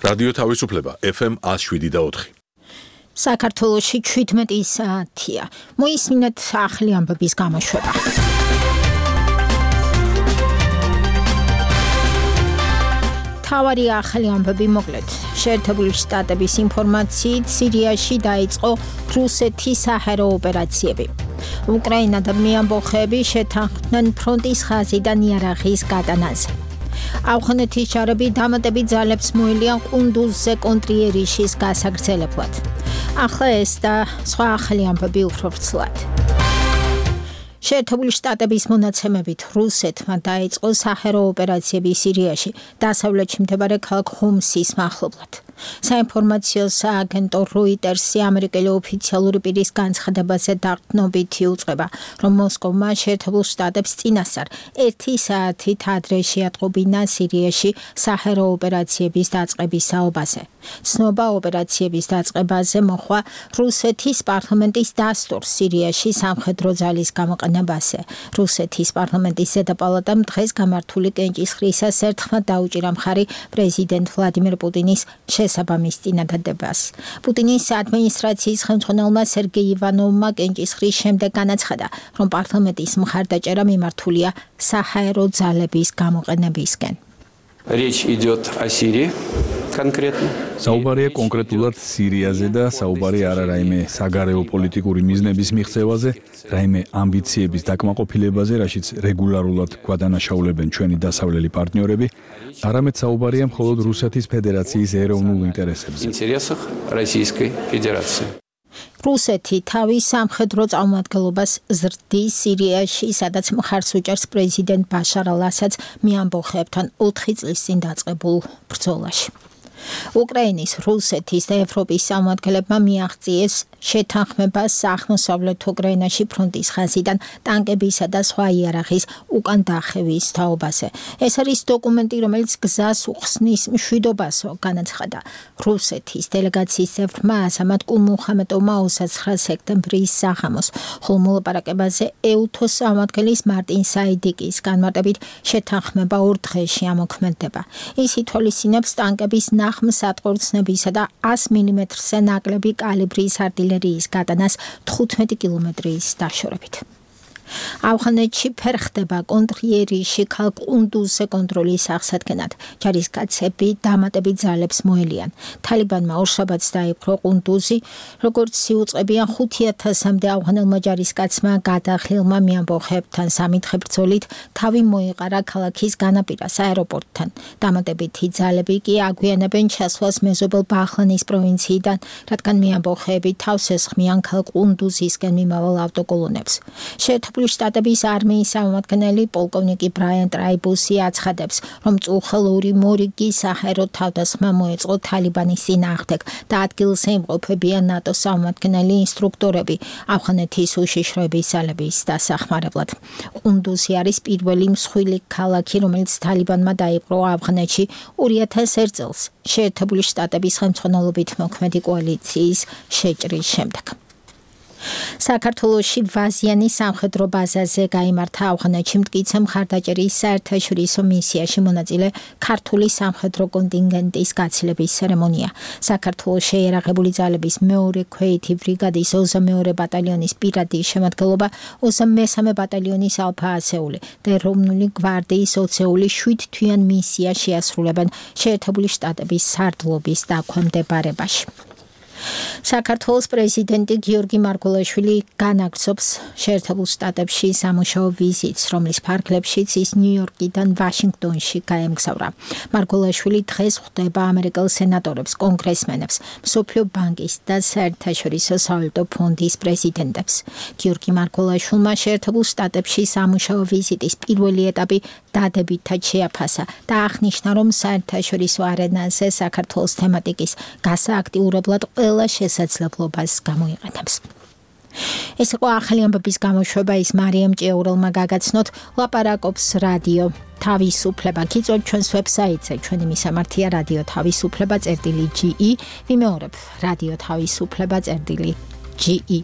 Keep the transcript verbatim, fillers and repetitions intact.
რადიო თავისუფლება F M one oh seven და four. საქართველოში seventeen საათია. მოისმინეთ ახალი ამბების გამოშვება. თავარი ახალი ამბები მოკლედ. შეერთებული შტატების ინფორმაციით სირიაში დაიწყო რუსეთის საჰაერო ოპერაციები. უკრაინა და მეამბოხეები შეთანხმდნენ ფრონტის ხაზიდან იარაღის გატანაზე. ავღანეთის ჯარები დამატებით ძალებს მოელიან ყუნდუზზე კონტრიერიშის გასაგრძელებლად. ახლა ეს და სხვა ახალი ამბები უფრო ვრცლად. შეერთებული შტატების მონაცემებით რუსეთმა დაიწყო საჰაერო ოპერაციები სირიაში, დასავლეთში მდებარე ქალაქ ჰომსის მახლობლად. საინფორმაციო სააგენტო როიტერსი ამერიკელი ოფიციალური პირის განცხადებაზე დაყრდნობით იუწყება, რომ მოსკოვმა შეერთებულ შტატებს წინასწარ ერთი საათით ადრე შეატყობინა სირიაში საჰაერო ოპერაციების დაწყების საუბაზე. ცნობა ოპერაციების დაწყებაზე მოხდა რუსეთის პარლამენტის დასტურს სირიაში სამხედრო ძალის გამოყენებაზე. რუსეთის პარლამენტის ზედა პალატამ დღეს გამართული კენჭისყრისას ერთხმად დაუჭირა მხარი პრეზიდენტ ვლადიმერ პუტინის შესაბამის წინადადებას. პუტინის ადმინისტრაციის ხელმძღვანელმა სერგეი ივანოვმა კენჭისყრის შემდეგ განაცხადა, რომ პარლამენტის მხარდაჭერა მიმართულია საჰაერო ძალების გამოყენებისკენ. Речь идет о Сирии конкретно. საუბარია კონკრეტულად სირიაზე და საუბარი არა რაიმე საგარეო პოლიტიკური მიზნების მიღწევაზე, რაიმე ამბიციების დაკმაყოფილებაზე, რაშიც რეგულარულად გვადანაშაულებენ ჩვენი დასავლელი პარტნიორები, არამედ საუბარია მხოლოდ რუსეთის ფედერაციის ეროვნულ ინტერესებზე. Интересах Российской Федерации. რუსეთი თავის სამხედრო წარმომადგენლობას ზრდის სირიაში, სადაც მხარს უჭერს პრეზიდენტ ბაშარ ალ-ასადს მეამბოხეებთან ოთხი წლის წინ დაწყებულ ბრძოლაში. უკრაინის, რუსეთის და ევროპის წარმომადგენლებმა მიაღწიეს შეთანხმებას აღმოსავლეთ უკრაინაში ფრონტის ხაზიდან ტანკებისა და სხვა იარაღის უკან დახევის თაობაზე. ეს არის დოკუმენტი, რომელიც გზას უხსნის მშვიდობასო, განაცხადა რუსეთის დელეგაციის წევრმა ასამად კულმუხამედოვმა ოცდათვრამეტი სექტემბრის საღამოს, ხოლო მოლაპარაკებაზე ეუთოს წარმომადგენლის მარტინ საიდიკის განმარტებით შეთანხმება ორ დღეში ამოქმედდება. ის ითვალისწინებს ტანკების ნახმსატყორცნებისა და one hundred მილიმეტრზე ნაკლები კალიბრის артиллерიის გატანას თხუთმეტი კილომეტრის დაშორებით. ავღანეთში ფერხდება კონტრიერიში ქალაქ ყუნდუზზე კონტროლის აღსადგენად. ჯარისკაცები დამატებით ძალებს მოელიან. თალიბანმა ორშაბათს დაიპყრო ყუნდუზი, როგორც იუწყებიან ხუთი ათასამდე ავღანელმა ჯარისკაცმა გადახილმა მეამბოხეებთან სამითხე ბრძოლით თავი მოიყარა ქალაქის განაპირას აეროპორტთან. დამატებითი ძალები კი აგვიანებენ ჩასვლას მეზობელ ბაჰლანის პროვინციიდან, რადგან მეამბოხეები თავს ესხმიან ქალაქ ყუნდუზისკენ მიმავალ ავტოკოლონებს. შეერთებული შტატების არმიის წარმომადგენელი პოლკოვნიკი ბრაიან ტრაიბუსი აცხადებს, რომ წუხელური მორიგი საჰაერო თავდასხმა მოეწყო თალიბანის წინააღმდეგ და ადგილზე იმყოფებიან ნატოს წარმომადგენელი ინსტრუქტორები ავღანეთის უშიშროების ძალების დასახმარებლად. ყუნდუზი არის პირველი მსხვილი ქალაქი, რომელიც თალიბანმა დაიპყრო ავღანეთში two thousand one წელს შეერთებული შტატების ხელმძღვანელობით მოქმედი კოალიციის შეჭრის შემდეგ. საქართველოში ვაზიანის სამხედრო ბაზაზე გაიმართა ავღანეთში მტკიცე მხარდაჭერის საერთაშორისო მისიაში მონაწილე ქართული სამხედრო კონტინგენტის გაცილების ცერემონია. საქართველოს შეიარაღებული ძალების მეორე ქვეითი ბრიგადის ოცდამეორე ბატალიონის პირადი შემადგენლობა, ოცდამესამე ბატალიონის ალფა ასეული და ეროვნული გვარდიის ოცეული შვიდ თვიან მისია შეასრულებენ შეერთებული შტატების სარდლობის დაქვემდებარებაში. საქართველოს პრეზიდენტი გიორგი მარგველაშვილი განაგრძობს შეერთებულ შტატებში სამუშაო ვიზიტს, რომლის ფარგლებშიც ის ნიუ-იორკიდან ვაშინგტონში გაემგზავრა. მარგველაშვილი დღეს ხვდება ამერიკელ სენატორებს, კონგრესმენებს, მსოფლიო ბანკის და საერთაშორისო სავალუტო ფონდის პრეზიდენტებს. გიორგი მარგველაშვილმა შეერთებულ შტატებში სამუშაო ვიზიტის პირველი ეტაპი დადებითად შეაფასა და აღნიშნა, რომ საერთაშორისო არენაზე საქართველოს თემატიკის გასააქტიურებლად ყველა შესაძლებლობას გამოიყენებს. ეს იყო ახალი ამბების გამოშვება, ის მარიამ ჭიაურელმა გაგაცნოთ, ლაპარაკობს რადიო თავისუფლება. გიწევთ ჩვენს ვებსაიტზე, ჩვენი მისამართია რადიო თავისუფლება წერტილი ჯი ი, ვიმეორებ რადიო თავისუფლება წერტილი ჯი ი.